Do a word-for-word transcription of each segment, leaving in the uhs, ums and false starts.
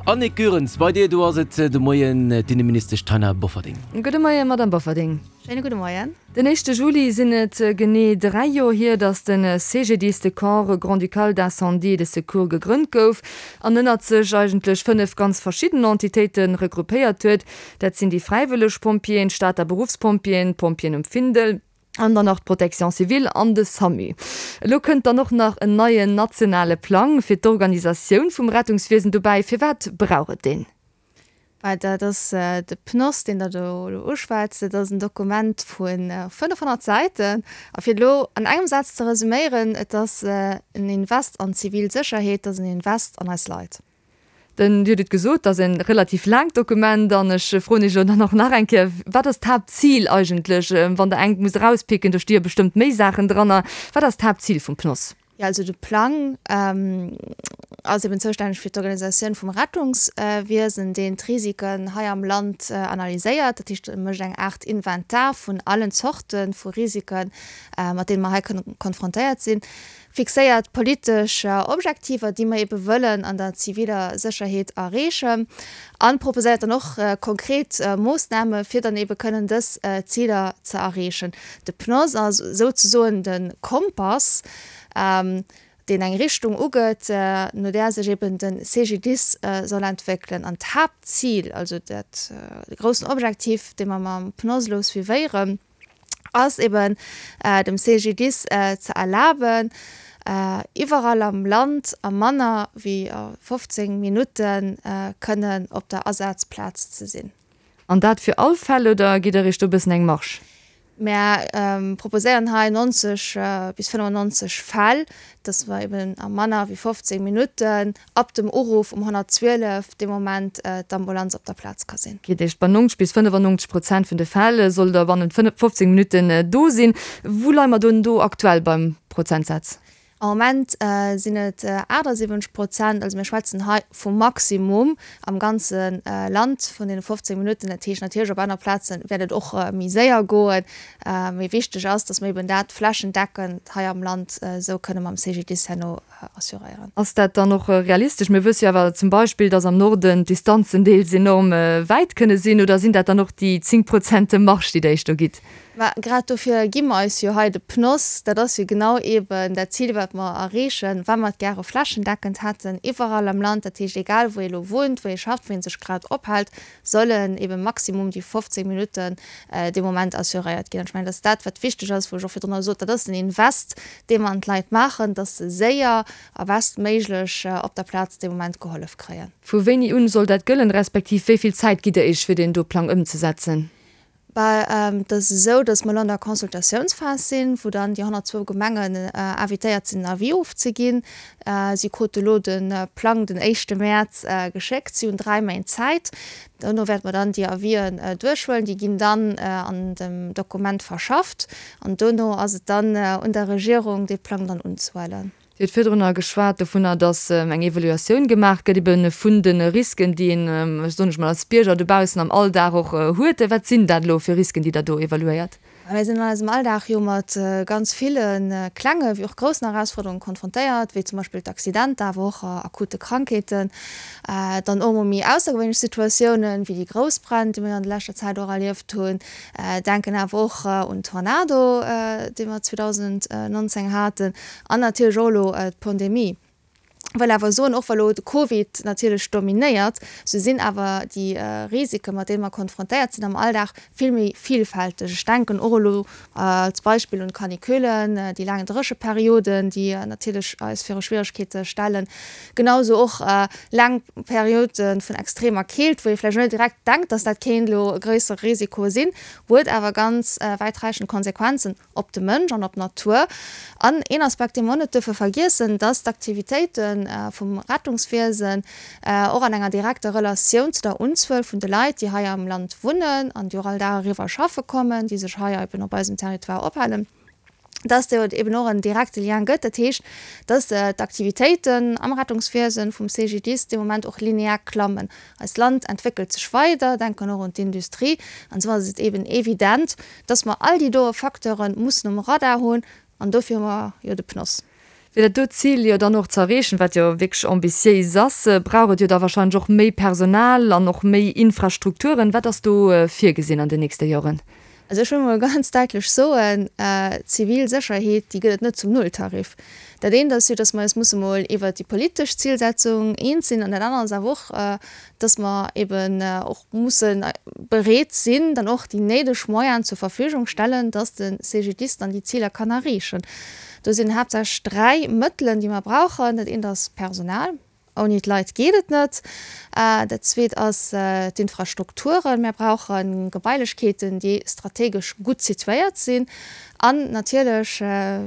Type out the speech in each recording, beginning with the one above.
Annick Goerens, bei dir do ass et de Moien d'Inneministesch Taina Bofferding. Gudde Moien, Madamm Bofferding. Schéine gudde Moien. Den éischte Juli sinn et genee dräi Joer hier, datt de C G D I S, de Corps grand-ducal d'incendie et de secours, gegrënnt gouf an ënnert sech eigentlech fënnef ganz verschidden Entitéite regroupéiert huet. Dat sinn déi fräiwëlleg Pompjeeën, d'Stater Beruffspompjeeën, d'Pompjeeën um Findel an dann nach d'Protection civile an de SAMU. Elo kënnt dann och nach en neien nationale Plang fir d'Organisatioun vum Rettungswiesen dobäi. Firwat brauch et deen? Well dat ass de PNOS, deen Der do elo uschwätzt, dat ass en Dokument vu fënnefhonnert Säiten. A fir et elo an engem Saz ze resuméieren, Et ass en Invest an d'zivil Sécherheet, et ass en Invest an eis Leit. Den, Dir hutt et gesot, et ass e relativ laangt Dokument an ech froen Iech elo dann och nach eng Kéier, Wat ass d'Haaptzil eigentlech, wann Der engt musst erauspicken, do sti jo bestëmmt méi Saachen dranner, wat ass d'Haaptzil vum PNOS? Jo, also de Plang ass eben zoustänneg fir d'Organisatioun vum Rettungswiesen, deen d'Risiken hei am Land analyséiert. Dat heescht, e mécht eng Aart Inventar vun allen Zorte vu Risiken, mat deene mer hei kënne konfrontéiert sinn, fixéiert politesch Objektiver, déi mer ebe wëllen an der ziviler Sécherheet erreechen, a proposéiert dann och konkret Moossname fir dann ebe kënnen dës Ziler ze erreechen. De PNOS ass souzesoen de Kompass, deen eng Richtung ugëtt, no där sech eben de C G D I S soll entwéckelen. An d'Haaptzil, also dat de groussen Objektiv, dee mer mam PNOS elo suivéieren, ass eben dem C G D I S ze erlaben, iwwerall am Land a manner wéi fofzéng Minutte kënnen op der Asazplaz ze sinn. An dat fir all Fäll oder gitt Der Iech do e bëssen eng Marge? Mär proposéieren hei neunzeg bis fënnefannonzeg Fäll, dass mer eben a manner wéi fofzéng Minutten ab dem Uruff um honnertzwielef dee Moment d'Ambulanz op der Plaz ka sinn. Dat heescht, bei neunzeg bis fënnefannonzeg Prozent vun de Fäll sollt Der bannent fofzéng Minutten do sinn. Wou leie mer dann do aktuell beim Prozentsaz? Am Moment sinn et aachtsiwwenzeg Prozent, also mir schwätzen hei vum Maximum am ganze Land vun deene fofzéng Minutten. Dat heescht natierlech, op aner Plaze wäert et och méi séier goen. Mee wichteg ass, datt mer eben dat flächendeckend hei am Land esou kënne mam C G D I S herno assuréieren. Ass dat dann och realistesch? Mir wësse jo awer zum Beispill, datt am Norden d'Distanzen deels enorm wäit kënne sinn. Oder sinn dat dann och déi zéng Prozent Marge, déi Der Iech do gitt? Mä grad dofir gi mer eis jo hei de PNOS. Dat ass jo genau eeben dat Zil, wat mer erreechen, wa mer et gäre flächendeckend hätten iwwerall am Land. Dat heescht, egal wou ee elo wunnt, wou ee schafft, wou ee sech grad ophält, sollen eebe maximum déi fofzéng Minutten dee Moment assuréiert ginn. An ech mengen, dat ass dat, wat wichteg ass, wou ech och virdrunner sot, dat ass den Invest, dee mer an d'Leit maachen, dass se séier a bestméiglech op der Plaz dee Moment gehollef kréien. Vu wéini un soll dat gëllen, respektiv wéi vill Zäit gitt Der Iech, fir deen do Plang ëmzesetzen? Bah, et ass esou, datt mer elo an der Consultatiounsphas sinn, wou dann déi honnertzwou Gemengen invitéiert sinn, en Avis ofzeginn. Si krute elo de Plang den éischte Mäerz geschéckt. Si hunn dräi Méint Zäit. Dono wäerte mer dann déi Avisen duerchhuelen. Déi ginn dann an dem Dokument verschafft. An dono ass et dann un der Regierung, dee Plang dann unzehuelen. Dir hutt virdrunner geschwat dovunner, datt eng Evaluatioun gemaach gëtt ebe vun de Risken, déi een, soen ech mol, als Bierger dobaussen am Alldag och huet. Wat sinn dat elo fir Risken, déi Der do evaluéiert? Mir sinn an eisem Alldag jo mat ganz ville klenge wéi och groussen Erausforderunge konfrontéiert, wéi zum Beispill d'Accidenter, awer och akute Krankheeten, dann och emol méi aussergewéinlech Situatiounen, wéi déi grouss Bränn, déi mir an der leschter Zäit och erlieft hunn. Denken awer och un Tornado, dee mer zweedausendnonzéng haten, an natierlech och elo d'Pandemie. Wëll awer soen, och wa lo de Covid natierlech dominéiert, sou sinn awer déi Risiken, mat deene mer konfrontéiert sinn am Alldag, vill méi vielfälteg. Ech denken och elo als Beispill un d'Canicullen, déi laang Drécheperioden, déi natierlech eis viru Schwieregkeete stellen, genau sou och laang Periode vun extremer Keelt, wou ee vläicht net direkt denkt, dass dat kéint elo e gréissere Risiko sinn, huet awer ganz wäitreichend Konsequenzen op de Mënsch an op d'Natur. An een Aspekt, dee mer och net duerfe vergiessen, dass d'Aktivitéite vum Rettungswiesen och an enger direkter Relatioun zu der Unzuel vun de Leit, déi hei am Land wunnen an déi och all Dag eriwwer schaffe kommen, déi sech hei eben op eisem Territoire ophalen, dass do eben och en direkte Lien gëtt. Dat heescht, dass d'Aktivitéiten am Rettungswiesen vum C G D I S de Moment och linear klammen. Eist Land entwéckelt sech weider, denken och un d'Industrie, an esou ass et eben evident, dass mer all déi doe Facteure mussen um Radar hunn, an dofir hu mer jo de PNOS. Fir dat do Zil jo dann och ze erreechen, wat jo wierklech ambitiéis ass, brauch et jo da wahrscheinlech och méi Personal an och méi Infrastrukturen. Wat ass do virgesinn an den nächste Joren? Also ech wëll mol ganz däitlech soen, Zivil Sécherheet, déi gëtt et net zum Nulltarif. Dat eent ass jo, dass mer eis musse mol iwwert déi politesch Zilsetzung eens sinn, an dat anert ass awer och, dass mer eben och musse bereet sinn, dann och déi néideg Moyenen zur Verfügung stellen, dass de CGDIS dann déi Ziler kann erreechen. Do sinn haaptsächlech dräi Mëttelen, déi mer brauchen. Dat eent ass Personal. Ouni d'Leit geet et net. Dat Zweet ass d'Infrastrukturen. Mir brauche Gebailechkeeten, déi strategesch gutt situéiert sinn. An natierlech,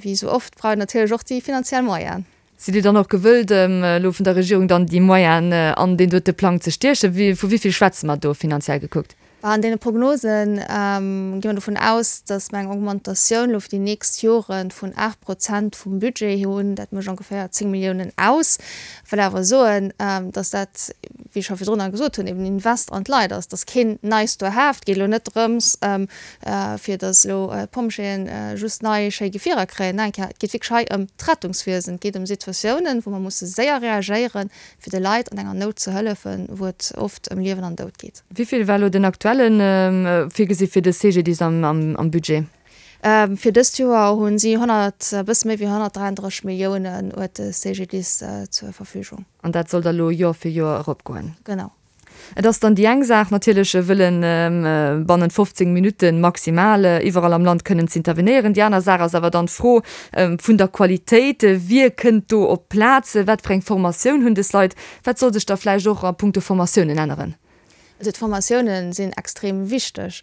wéi esou oft, brauch een natierlech och déi finanziell Moyenen. Sidd Dir dann och gewëllt, elo vun der Regierung dann déi Moyenen an deen dote Plang ze stiechen? Vu wéi vill schwätze mer do, finanziell gekuckt? An deene Prognose gi mer dovun aus, datt mer eng Augmentatioun elo fir déi nächst Jore vun aacht Prozent vum Budget hunn. Dat mécht ongeféier zéng Milliounen aus. Ech wëll awer soen, datt dat, wéi ech scho virdrunner gesot hunn, eben en Invest an d'Leit ass. Dat ass keen nice to have. Et geet elo net drëms, fir datt elo d'Pompjeeën just nei schéi Gefierer kréien. Nein, et geet wierklech hei ëm d'Rettungswiesen. Et geet ëm Situatiounen, wou mer musse séier reagéieren, fir de Leit an enger Nout ze hëllefen, wou et oft ëm Liewen an Doud geet. Wéi vill war elo den aktuellen virgesi fir de CGDIS am Budget? Fir dëst Joer hu si honnert, e bësse méi wéi honnertdräianddrësseg Milliounen huet de CGDIS zur Verfügung. An dat soll da elo Joer fir Joer eropgoen? Genau. Et ass dann déi eng Saach natierlech, wëllen bannent fofzéng Minutte maximal iwwerall am Land kënnen z'intervenéieren. Déi aner Saach ass awer dann d'Fro vun der Qualitéit. Wie kënnt do op d'Plaz? Wat fir eng Formatioun hunn dës Leit? Wat soll sech da vläicht och a punkto Formatiounen änneren? Also d'Formatiounen sinn extrem wichteg.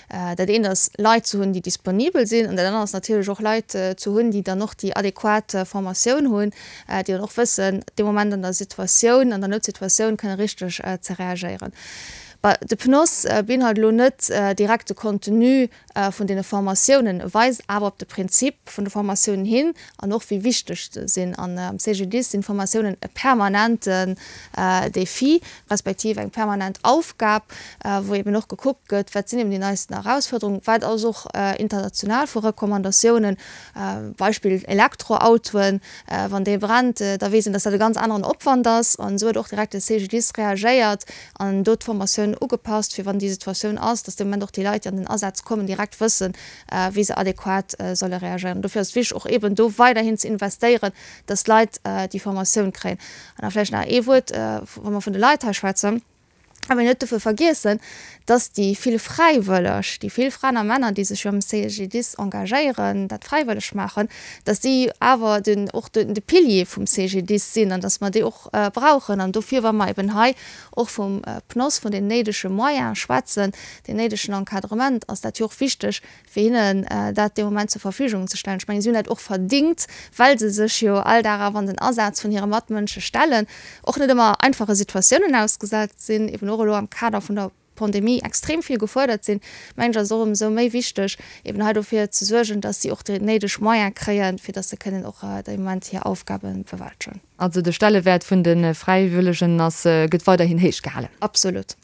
Dat eent ass Leit ze hunn, déi disponibel sinn, an dat anert ass natierlech och Leit ze hunn, déi dann och déi adequat Formatioun hunn, déi dann och wëssen, dee Moment an der Situatioun, an der Noutsituatioun kënne richteg ze reagéieren. De PNOS beinhalt elo net direkt de Contenu vun deene Formatiounen, e weist awer op de Prinzip vun de Formatiounen hin an och wéi wichteg se sinn. An am CGDIS sinn d'Formatiounen e permanenten Défi, respektiv eng permanent Aufgab, wou eben och gekuckt gëtt, wat sinn eben déi neisten Erausfuerderungen, wat ass och international vu Recommandatiounen, Beispill Elektroautoen, wann dee brennt, da weess een, dass dat e ganz aneren Opwand ass. An esou huet och direkt de CGDIS reagéiert an do d'Formatioun ugepasst, fir wann déi Situatioun ass, dass dee Moment och déi Leit, déi an den Asaz kommen, direkt wëssen, wéi se adequat solle reagéieren. Dofir ass et wichteg, och eeben do weiderhin ze investéieren, dass d'Leit déi Formatioun kréien. An da vläicht nach ee Wuert, wa mer vun de Leit hei schwätzen, Awer net dofir vergiessen, dass déi vill Fräiwëlleg, déi vill Fraen a Männer, déi sech jo am CGDIS engagéieren, dat fräiwëlleg maachen, dass déi awer den, och de Pilier vum CGDIS sinn an dass mer déi och brauchen. An dofir, wa mer eben hei och vum PNOS, vun den néidege Moyene schwätzen, deen néidegen Encadrement, ass dat jo och wichteg, fir hinnen dat dee Moment zur Verfügung ze stellen. Ech mengen, si hunn dat och verdingt, well se sech jo all Dag awer an den Asaz vun hire Matmënsche stellen, och net ëmmer einfache Situatiounen ausgesat sinn, eben och elo am Kader vun der Pandemie extrem vill gefuerdert sinn, mengen ech, ass et och ëmsou méi wichteg, eben hei dofir ze suergen, dass si och déi néideg Moyene kréien, fir dass se kënnen och dee Moment hir Aufgabe bewältegen. Also de Stellewäert vun de Fräiwëllegen ass, gëtt weiderhin héich gehalen. Absolut.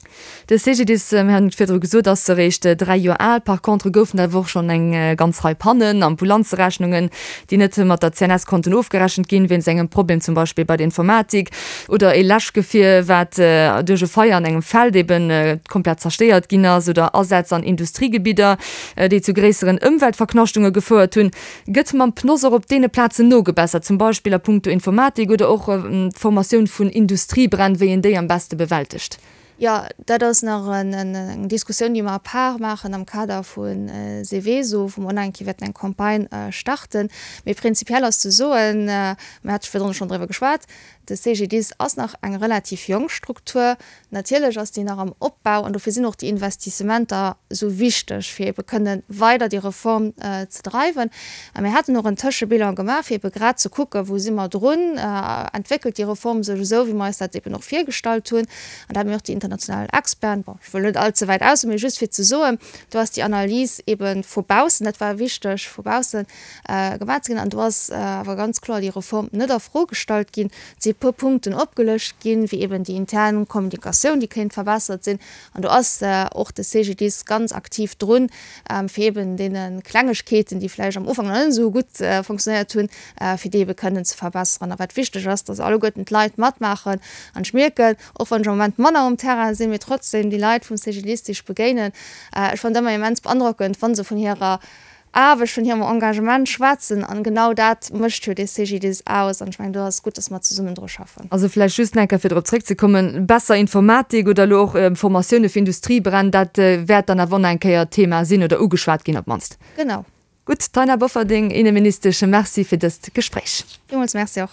De CGDIS, mir haten et virdru gesot, ass eréischt dräi Joer al. Par contre goufen et awer och schonn eng ganz Rei Pannen, Ambulanzerechnungen, déi net mat der C N S konnten ofgerechent ginn, wéinst engem Problem zum Beispill bei der Informatik, oder ee Läschgefier, wat duerch e Feier an engem Feld eben komplett zerstéiert ginn ass, oder Asätz an Industriegebidder, déi zu gréisseren Ëmweltverknaschtunge gefouert hunn. Gëtt mam PNOS och op deene Plazen nogebessert, zum Beispill a puncto Informatik oder och d'Formatioun vun Industriebränn, wéi een déi am beste bewältegt? Jo, dat ass nach eng Diskussioun, déi mer à part maachen am Kader vu Seveso, wou mer och nach eng Kéier wäerten eng Campagne starten. Mee prinzipiell ass ze soen, mir hate virdrun schonn driwwer geschwat, De C G D I S ass nach eng relativ jonk Struktur. Natierlech ass déi nach am Opbau an dofir sinn och déi Investissementer esou wichteg, fir ebe kënne weider déi Reform ze dreiwen. A mir haten och en Tëschebilan gemaach, fir ebe grad ze kucken, wou si mer drun, entwéckelt déi Reform sech esou, wéi mer eis dat eben och virgestallt hunn. An da hate mir och déi international Experten, bon, ech wëll net allze wäit aushuelen, mee just fir ze soen, do ass déi Analys ebe vu baussen, dat war wichteg, vu baussen gemaach ze ginn. An do ass awer ganz kloer déi Reform net a Fro gestallt ginn. Et si puer Punkten opgelëscht ginn, wéi eben déi intern Kommunikatioun, déi kéint verbessert sinn. An do ass och de CGDIS ganz aktiv drun, fir eben deene Klengegkeeten, déi vläicht am Ufank nach net esou gutt funktionéiert hunn, fir déi ebe kënnen ze verbesseren. A wat wichteg ass, dass alleguerten d'Leit matmaachen. An ech mierken, och wann ech am Moment manner um Terrain sinn, mee trotzdem déi Leit vum CGDIS, déi ech begéinen, ech fannen et ëmmer immens beandrockend, wa se vun hirer Aarbecht, vun hirem Engagement schwätzen. An genau dat mécht jo dee CGDIS aus. An ech mengen, do ass et gutt, dass mer zesummen dru schaffen. Also vläicht just nach eng Kéier, fir drop zréckzekommen, besser Informatik oder elo och Formatioune fir Industriebränn, dat wäert dann awer och nach eng Kéier Thema sinn oder ugeschwat ginn op d'mannst. Genau. Gutt, Taina Bofferding, Inneministesch, Merci fir dëst Gespréich. Villmools Merci och.